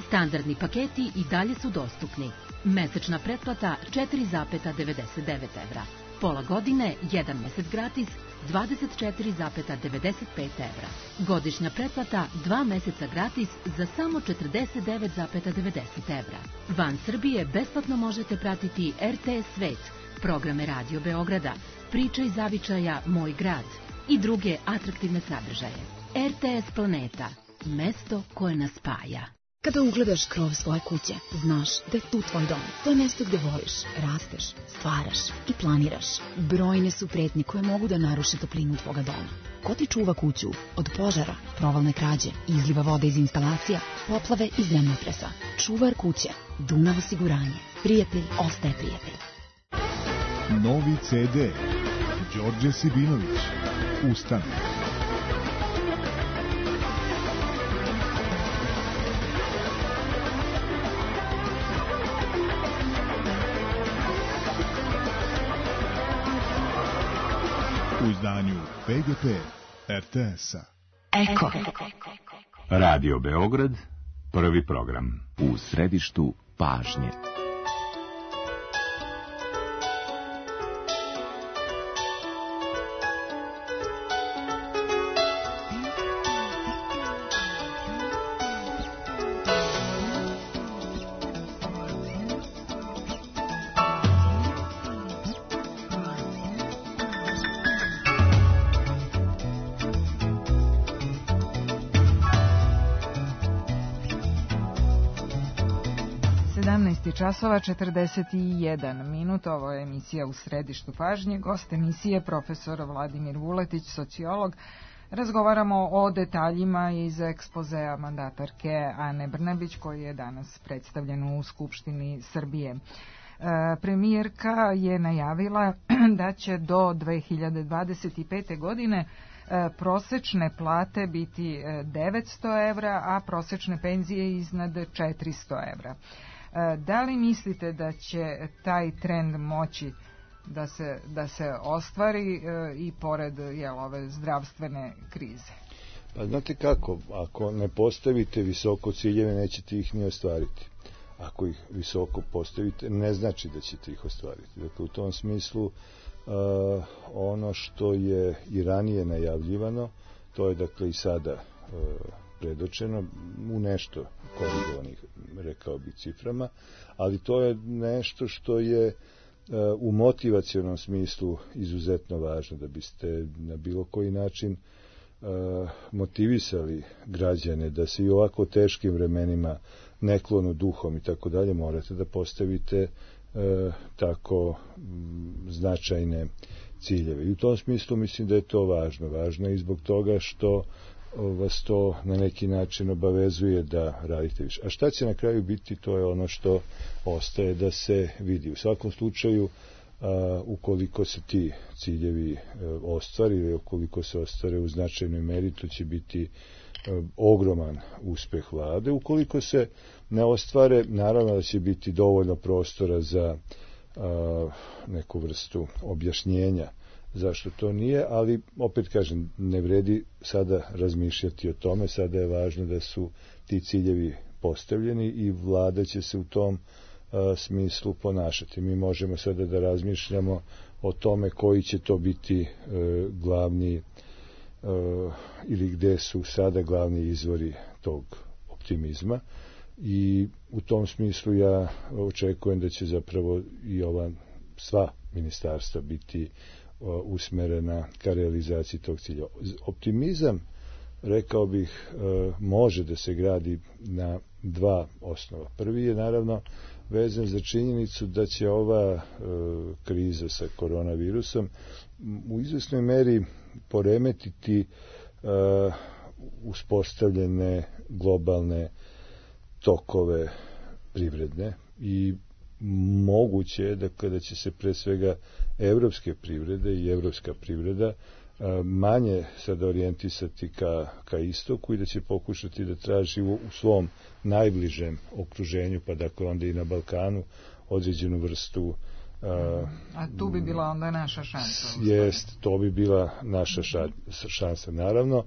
Standardni paketi i dalje su dostupni. Mesečna pretplata četiri zarez devedeset devet evra. Pola godine, jedan mesec gratis, dvadeset četiri zarez devedeset pet evra. Godišnja pretplata, dva meseca gratis za samo četrdeset devet zarez devedeset evra. Van Srbije besplatno možete pratiti er te es Svet, programe Radio Beograda, Priče iz zavičaja Moj grad i druge atraktivne sadržaje. er te es Planeta, mesto koje nas spaja.
Kada ugledaš krov svoje kuće, znaš da je tu tvoj dom. To je mesto gde voliš, rasteš, stvaraš i planiraš. Brojne su pretnje koje mogu da naruše toplinu tvoga doma. Ko ti čuva kuću od požara, provalne krađe, izliva vode iz instalacija, poplave i zemljotresa? Čuvar kuće, Dunav osiguranje. Prijatelj ostaje prijatelj.
Novi ce de. Đorđe Sibinović. Ustane. U izdanju pe ge pe er te es-a.
Eko.
Radio Beograd, prvi program.
U središtu pažnje.
Časova četrdeset jedan minut, ovo je emisija U središtu pažnje, gost emisije profesor Vladimir Vuletić, sociolog. Razgovaramo o detaljima iz ekspozea mandatarke Ane Brnabić koji je danas predstavljen u Skupštini Srbije. Premijerka je najavila da će do dve hiljade dvadeset pete. godine prosečne plate biti devetsto evra, a prosečne penzije iznad četiristo evra. Da li mislite da će taj trend moći da se, da se ostvari e, i pored jel, ove zdravstvene krize?
Pa znate kako, ako ne postavite visoko ciljeve, nećete ih ni ostvariti. Ako ih visoko postavite, ne znači da ćete ih ostvariti. Dakle, u tom smislu uh, ono što je i ranije najavljivano, to je dakle i sada uh, predočeno u nešto korigovanih, rekao bi, ciframa, ali to je nešto što je uh, u motivacionom smislu izuzetno važno, da biste na bilo koji način uh, motivisali građane da se i ovako teškim vremenima ne klonu duhom i tako dalje, morate da postavite uh, tako m, značajne ciljeve. I u tom smislu mislim da je to važno. Važno je i zbog toga što vas to na neki način obavezuje da radite više. A šta će na kraju biti, to je ono što ostaje da se vidi. U svakom slučaju, a, ukoliko se ti ciljevi a, ostvari ili ukoliko se ostvare u značajnoj meri, to će biti a, ogroman uspeh vlade. Ukoliko se ne ostvare, naravno da će biti dovoljno prostora za a, neku vrstu objašnjenja zašto to nije, ali opet kažem, ne vredi sada razmišljati o tome, sada je važno da su ti ciljevi postavljeni i vlada će se u tom a, smislu ponašati. Mi možemo sada da razmišljamo o tome koji će to biti a, glavni a, ili gde su sada glavni izvori tog optimizma i u tom smislu ja očekujem da će zapravo i ova sva ministarstva biti usmerena ka realizaciji tog cilja. Optimizam, rekao bih, može da se gradi na dva osnova. Prvi je naravno vezan za činjenicu da će ova kriza sa koronavirusom u izvesnoj meri poremetiti uspostavljene globalne tokove privredne i moguće je dakle, da će se pre svega evropske privrede i evropska privreda manje sada orijentisati ka, ka istoku i da će pokušati da traži u, u svom najbližem okruženju, pa dakle onda i na Balkanu, određenu vrstu
A, a tu bi bila onda naša šansa.
Jest, to bi bila naša ša, šansa. Naravno,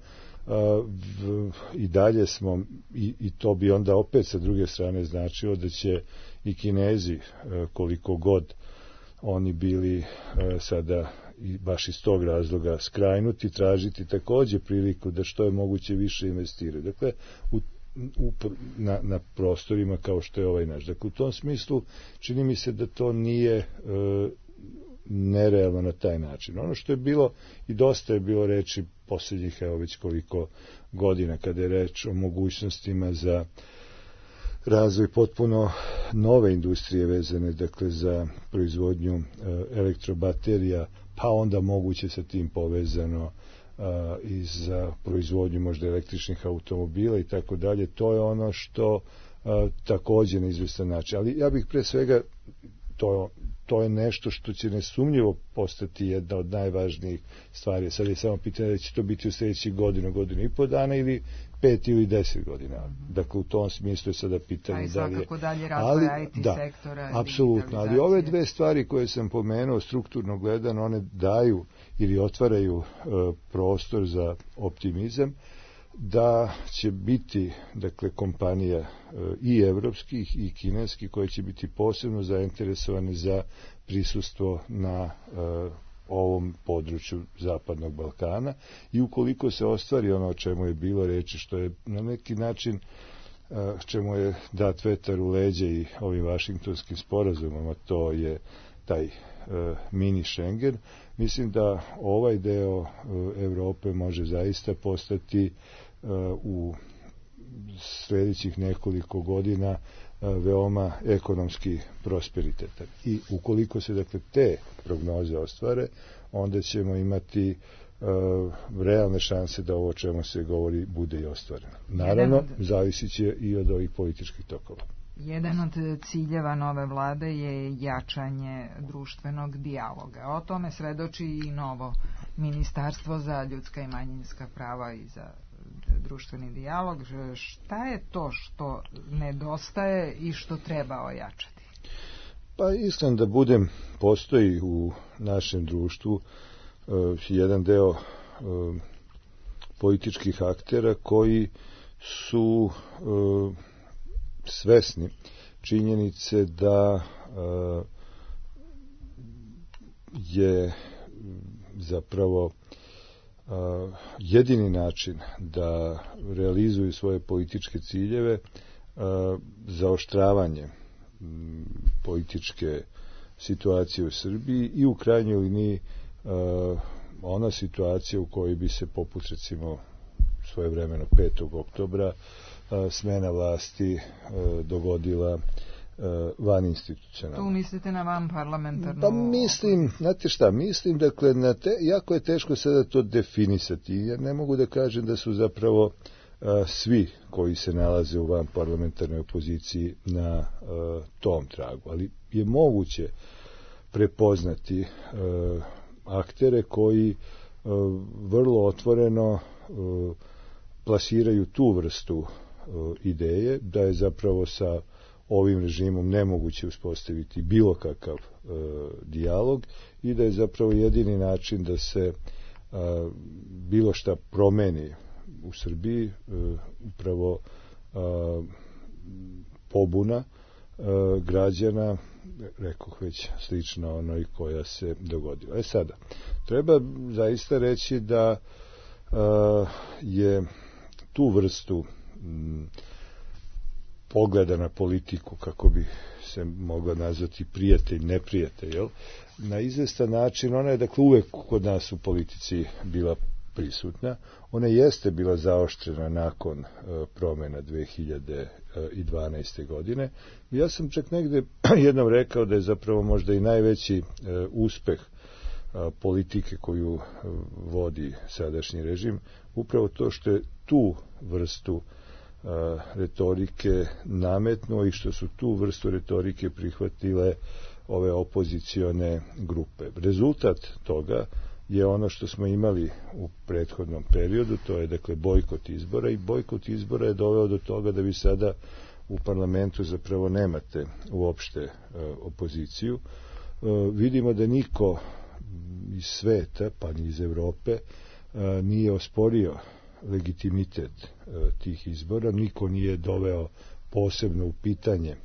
a, v, i dalje smo, i, i to bi onda opet sa druge strane značilo da će i Kinezi, koliko god oni bili e, sada i baš iz tog razloga skrajnuti, tražiti takođe priliku da što je moguće više investiraju. Dakle, u, u, na, na prostorima kao što je ovaj naš. Dakle, u tom smislu čini mi se da to nije e, nerealno na taj način. Ono što je bilo, i dosta je bilo reči posljednjih, evo već koliko godina, kada je reč o mogućnostima za razvoj potpuno nove industrije vezane, dakle, za proizvodnju e, elektrobaterija, pa onda moguće sa tim povezano a, i za proizvodnju možda električnih automobila i tako dalje. To je ono što a, takođe na izvestan način. Ali ja bih pre svega, to, to je nešto što će nesumnjivo postati jedna od najvažnijih stvari. Sad je samo pitanje da će to biti u sljedećih godinu, godinu i po dana ili pet ili deset godina. Dakle, u tom smislu je sada pitanje
dalje. A i svakako dalje razvoj I T
da,
sektora.
Apsolutno, ali ove dve stvari koje sam pomenuo, strukturno gledano, one daju ili otvaraju e, prostor za optimizam da će biti, dakle, kompanija e, i evropskih i kineskih koje će biti posebno zainteresovane za prisustvo na e, ovom području Zapadnog Balkana, i ukoliko se ostvari ono o čemu je bilo reči, što je na neki način čemu je dat vetar u leđe i ovim vašingtonskim sporazumama, to je taj mini Schengen, mislim da ovaj deo Evrope može zaista postati u sljedećih nekoliko godina veoma ekonomski prosperitetan. I ukoliko se, dakle, te prognoze ostvare, onda ćemo imati uh, realne šanse da ovo o čemu se govori bude i ostvareno. Naravno, od... zavisit će i od ovih političkih tokova.
Jedan od ciljeva nove vlade je jačanje društvenog dijaloga. O tome svedoči i novo Ministarstvo za ljudska i manjinska prava i za društveni dijalog. Šta je to što nedostaje i što treba ojačati?
Pa iskreno da budem, postoji u našem društvu uh, jedan deo uh, političkih aktera koji su uh, svesni činjenice da uh, je zapravo Uh, jedini način da realizuju svoje političke ciljeve uh, zaoštravanje um, političke situacije u Srbiji i u krajnjoj liniji uh, ona situacija u kojoj bi se poput recimo svojevremeno petog oktobra uh, smena vlasti uh, dogodila van institucionalno.
Tu mislite na van parlamentarnu?
Pa mislim, znate šta, mislim, dakle, na te, jako je teško sada to definisati, jer ne mogu da kažem da su zapravo a, svi koji se nalaze u van parlamentarnoj opoziciji na a, tom tragu, ali je moguće prepoznati a, aktere koji a, vrlo otvoreno a, plasiraju tu vrstu a, ideje, da je zapravo sa ovim režimom nemoguće uspostaviti bilo kakav e, dijalog i da je zapravo jedini način da se e, bilo šta promeni u Srbiji e, upravo e, pobuna e, građana, rekoh već slično onoj koja se dogodila. E sada, treba zaista reći da e, je tu vrstu m, pogleda na politiku, kako bi se mogla nazvati prijatelj, neprijatelj, jel? Na izvestan način, ona je, dakle, uvek kod nas u politici bila prisutna. Ona jeste bila zaoštrena nakon uh, promjena dve hiljade dvanaeste. godine. I ja sam čak negde jednom rekao da je zapravo možda i najveći uh, uspeh uh, politike koju uh, vodi sadašnji režim, upravo to što je tu vrstu retorike nametnuo i što su tu vrstu retorike prihvatile ove opozicione grupe. Rezultat toga je ono što smo imali u prethodnom periodu, to je, dakle, bojkot izbora, i bojkot izbora je doveo do toga da vi sada u parlamentu zapravo nemate uopšte opoziciju. Vidimo da niko iz sveta, pa ni iz Evrope, nije osporio legitimitet e, tih izbora, niko nije doveo posebno u pitanje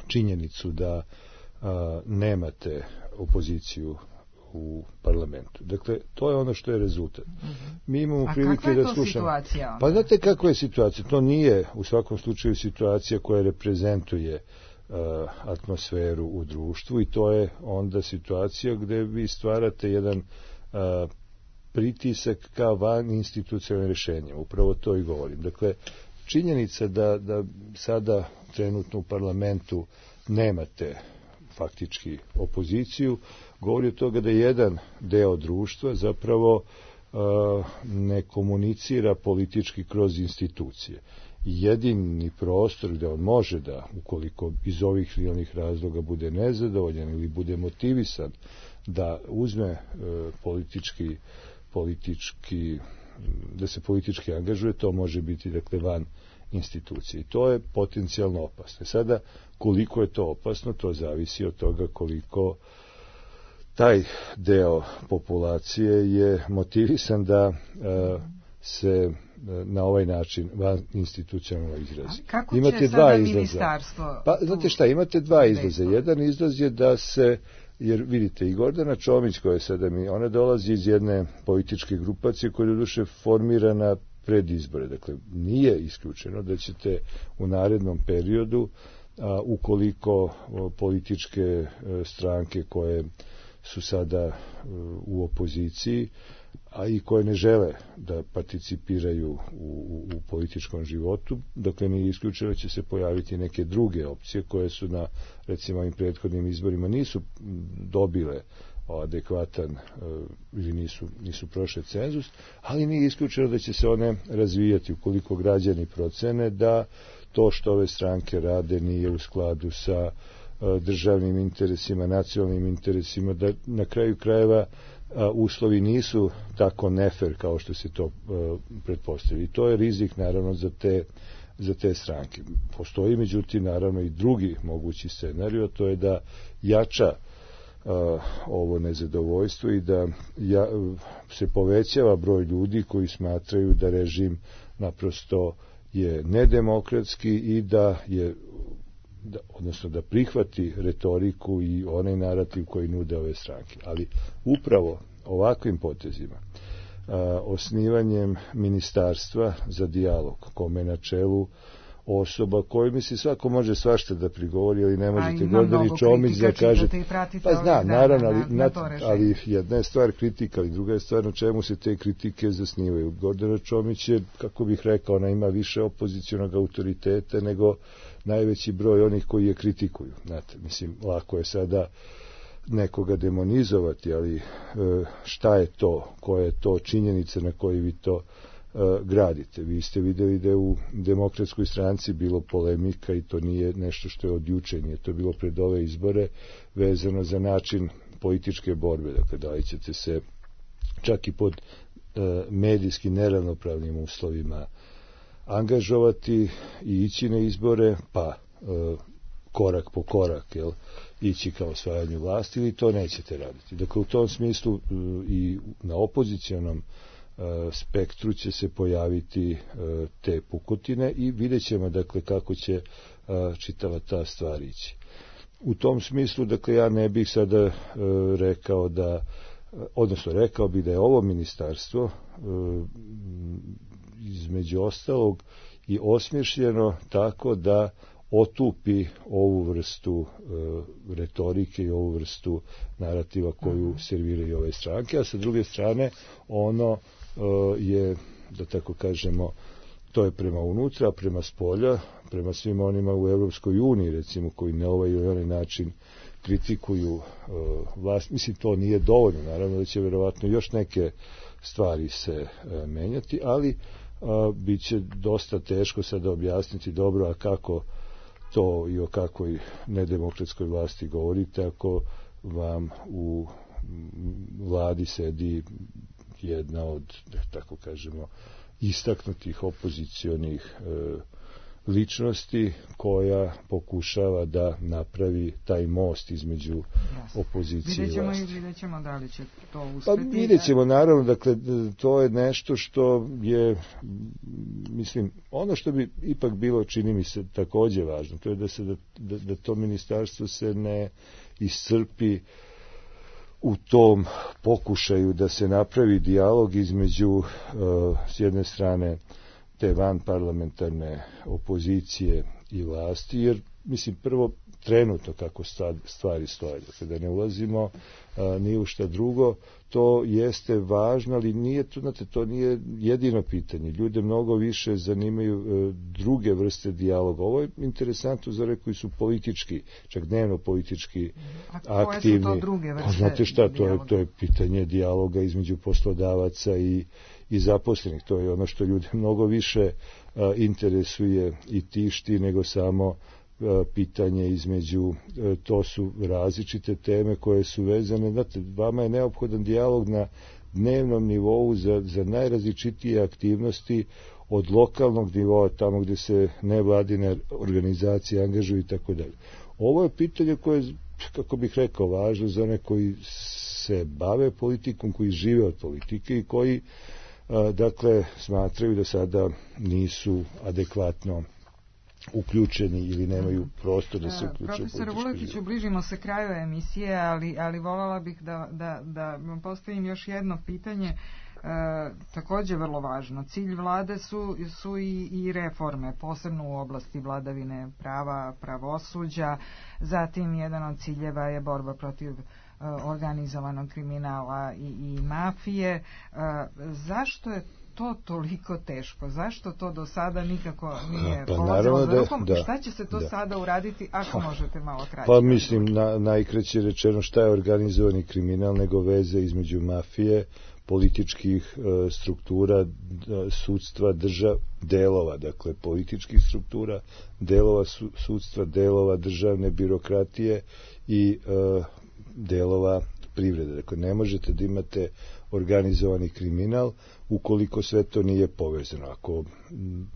činjenicu da a, nemate opoziciju u parlamentu. Dakle, to je ono što je rezultat. Mi imamo
A
prilike da slušamo. A kakva je to
situacija onda?
Pa znate kakva je situacija? To nije u svakom slučaju situacija koja reprezentuje uh, atmosferu u društvu i to je onda situacija gde vi stvarate jedan uh, pritisak ka van institucionalnim rešenjima. Upravo to i govorim. Dakle, činjenica da, da sada trenutno u parlamentu nemate faktički opoziciju, govori od toga da jedan deo društva zapravo uh, ne komunicira politički kroz institucije. Jedini prostor gde on može da, ukoliko iz ovih ili onih razloga bude nezadovoljan ili bude motivisan, da uzme uh, politički, politički, da se politički angažuje, to može biti dakle van institucije. I to je potencijalno opasno. Sada, koliko je to opasno, to zavisi od toga koliko taj deo populacije je motivisan da uh, se na ovaj način van institucionalno izrazi.
Kako
imate
će
dva
sada
izlaza.
Ministarstvo?
Pa, znate šta, imate dva izlaza. Jedan izlaz je da se, jer vidite, i Gordana Čomić koja je sada mi, ona dolazi iz jedne političke grupacije koja je doduše formirana pred izbore. Dakle, nije isključeno da ćete u narednom periodu, a, ukoliko a, političke a, stranke koje su sada a, u opoziciji, a i koje ne žele da participiraju u, u, u političkom životu, dakle nije isključeno će se pojaviti neke druge opcije koje su na, recimo, ovim prethodnim izborima nisu dobile adekvatan ili nisu, nisu prošle cenzus, ali nije isključeno da će se one razvijati ukoliko građani procene da to što ove stranke rade nije u skladu sa državnim interesima, nacionalnim interesima, da na kraju krajeva uslovi nisu tako nefer kao što se to pretpostavlja. I to je rizik naravno za te, za te stranke. Postoji međutim naravno i drugi mogući scenarij, to je da jača Uh, ovo nezadovoljstvo i da ja, se povećava broj ljudi koji smatraju da režim naprosto je nedemokratski i da je da, odnosno da prihvati retoriku i onaj narativ koji nude ove stranke. Ali upravo ovakvim potezima, uh, osnivanjem ministarstva za dijalog, kome na čelu osoba koju mi se svako može svašta da prigovori, ali ne možete Gordani Čomić da kažete, pa zna, naravno, ali, na, ali jedna je stvar kritika, ali druga je stvar na čemu se te kritike zasnivaju. Gordana Čomić je, kako bih rekao, ona ima više opozicionog autoriteta nego najveći broj onih koji je kritikuju. Znate, mislim, lako je sada nekoga demonizovati, ali šta je to, koja je to činjenica na koji vi to gradite. Vi ste videli da je u Demokratskoj stranci bilo polemika i to nije nešto što je od juče, nije to bilo pred ove izbore vezano za način političke borbe. Dakle, da li ćete se čak i pod e, medijski neravnopravnim uslovima angažovati i ići na izbore, pa e, korak po korak, jel, ići ka osvajanju vlasti, ili to nećete raditi. Dakle, u tom smislu e, i na opozicijonom spektru će se pojaviti te pukotine i vidjet ćemo dakle kako će čitava ta stvar ići. U tom smislu dakle ja ne bih sada rekao da, odnosno rekao bih da je ovo ministarstvo između ostalog i osmišljeno tako da otupi ovu vrstu e, retorike i ovu vrstu narativa koju serviraju ove stranke, a sa druge strane ono e, je, da tako kažemo, to je prema unutra, prema spolja, prema svim onima u Evropskoj uniji, recimo, koji na ovaj ili onaj način kritikuju e, vlast. Mislim, to nije dovoljno, naravno da će verovatno još neke stvari se e, menjati, ali a, bit će dosta teško sada objasniti dobro, a kako to i o kakvoj nedemokratskoj vlasti govorite ako vam u vladi sedi jedna od, da tako kažemo, istaknutih opozicionih e, ličnosti koja pokušava da napravi taj most između Jasne. opozicije
vidjet ćemo
i vlasti.
I vidjet ćemo da li će to uspeti.
Pa vidjet ćemo, naravno, dakle, to je nešto što je, mislim, ono što bi ipak bilo, čini mi se, takođe važno, to je da, se, da, da, da to ministarstvo se ne iscrpi u tom pokušaju da se napravi dijalog između s jedne strane te vanparlamentarne opozicije i vlasti, jer mislim prvo trenutno kako stvari stoje, dakle da ne ulazimo a, ni u šta drugo, to jeste važno, ali nije to, znate, to nije jedino pitanje. Ljude mnogo više zanimaju e, druge vrste dijaloga. Ovo je interesantno za one koji su politički, čak dnevno politički
A
aktivni.
Koje su to druge vrste?
Pa, znate šta, to je, to je pitanje dijaloga između poslodavaca i, i zaposlenih. To je ono što ljude mnogo više a, interesuje i tišti nego samo pitanje između, to su različite teme koje su vezane, znate, vama je neophodan dijalog na dnevnom nivou za, za najrazličitije aktivnosti od lokalnog nivoa, tamo gdje se nevladine organizacije angažuju i tako dalje. Ovo je pitanje koje je, kako bih rekao, važno za one koji se bave politikom, koji žive od politike i koji, dakle, smatraju da sada nisu adekvatno uključeni ili nemaju prostor da se uključe.
Profesor Vuletiću, bližimo se kraju emisije, ali, ali voljela bih da, da, da postavim još jedno pitanje, e, također vrlo važno. Cilj vlade su, su i, i reforme, posebno u oblasti vladavine prava, pravosuđa, zatim jedan od ciljeva je borba protiv organizovanog kriminala i, i mafije. E, zašto je to toliko teško? Zašto to do sada nikako nije
pa,
polazilo za
da,
rukom?
da,
Šta će se to da. sada uraditi, ako možete malo kraće?
Pa mislim, na, najkraće rečeno, šta je organizovani kriminal nego veze između mafije, političkih e, struktura, sudstva, držav, delova, dakle političkih struktura, delova su, sudstva, delova državne birokratije i e, delova privrede. Dakle, ne možete da imate organizovani kriminal ukoliko sve to nije povezano. Ako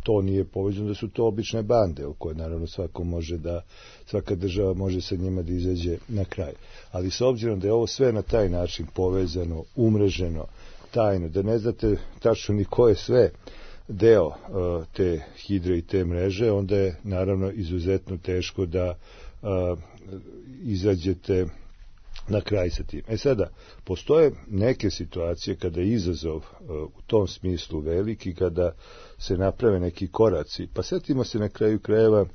to nije povezano, da su to obične bande, u koje naravno svako može da, svaka država može sa njima da izađe na kraj. Ali s obzirom da je ovo sve na taj način povezano, umreženo, tajno, da ne znate tačno ni ko je sve deo uh, te hidre i te mreže, onda je naravno izuzetno teško da uh, izađete na kraj sa tim. E sada, postoje neke situacije kada je izazov uh, u tom smislu veliki, kada se naprave neki koraci. Pa setimo se na kraju krajeva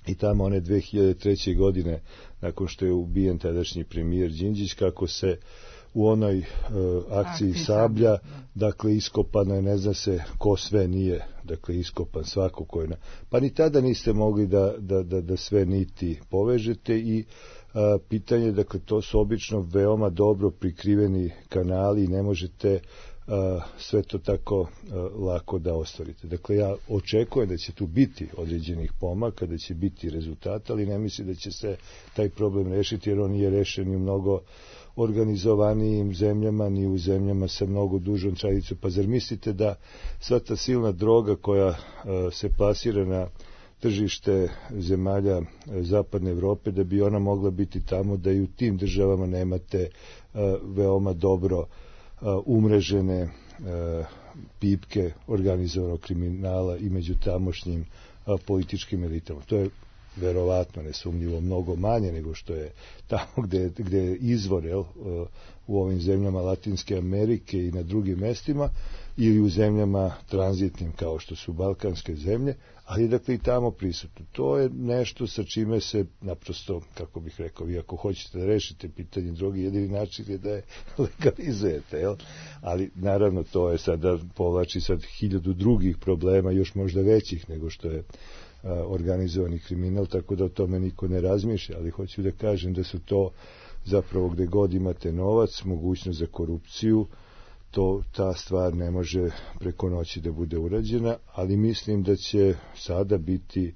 i tamo one dve hiljade treće. godine, nakon što je ubijen tadašnji premijer Đinđić, kako se u onoj uh, akciji Sablja, dakle iskopano je, ne zna se ko sve nije, dakle iskopan svako ko je na... Pa ni tada niste mogli da, da, da, da sve niti povežete i a, pitanje, dakle to su obično veoma dobro prikriveni kanali i ne možete a, sve to tako a, lako da ostvarite. Dakle, ja očekujem da će tu biti određenih pomaka, da će biti rezultata, ali ne mislim da će se taj problem rešiti, jer on nije rešen i u mnogo organizovanijim zemljama, ni u zemljama sa mnogo dužom tradicijom. Pa zar mislite da sva ta silna droga koja uh, se plasira na tržište zemalja uh, zapadne Evrope, da bi ona mogla biti tamo, da i u tim državama nemate uh, veoma dobro uh, umrežene uh, pipke organizovanog kriminala i među tamošnjim uh, političkim elitama. To je verovatno, nesumnjivo, mnogo manje nego što je tamo gde, gde je izvor, jel, u ovim zemljama Latinske Amerike i na drugim mestima, ili u zemljama tranzitnim kao što su balkanske zemlje, ali dakle i tamo prisutno. To je nešto sa čime se naprosto, kako bih rekao, vi ako hoćete da rešite pitanje droge, jedini način je da je legalizujete, jel? Ali naravno to je sada, povlači sad hiljadu drugih problema, još možda većih nego što je organizovani kriminal, tako da o tome niko ne razmišlja, ali hoću da kažem da su to zapravo gde god imate novac, mogućnost za korupciju, to ta stvar ne može preko noći da bude urađena, ali mislim da će sada biti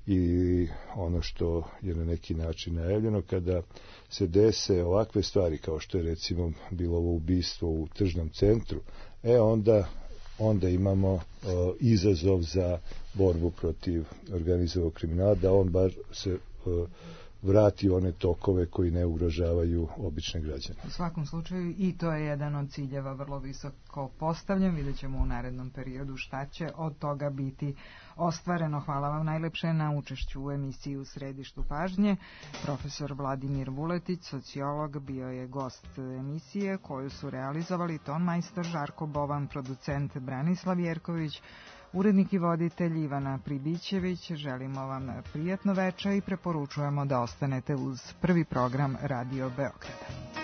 i ono što je na neki način najavljeno, kada se dese ovakve stvari kao što je recimo bilo ovo ubistvo u tržnom centru, e onda onda imamo uh, izazov za borbu protiv organizovanog kriminala, da on bar se uh, vrati one tokove koji ne ugrožavaju obične građane.
U svakom slučaju i to je jedan od ciljeva vrlo visoko postavljen. Vidjet ćemo u narednom periodu šta će od toga biti ostvareno. Hvala vam najlepše na učešću u emisiji U središtu pažnje. Profesor Vladimir Vuletić, sociolog, bio je gost emisije koju su realizovali ton majstor Žarko Bovan, producent Branislav Jerković, urednik i voditelj Ivana Pribićević. Želimo vam prijatno veče i preporučujemo da ostanete uz prvi program Radio Beograda.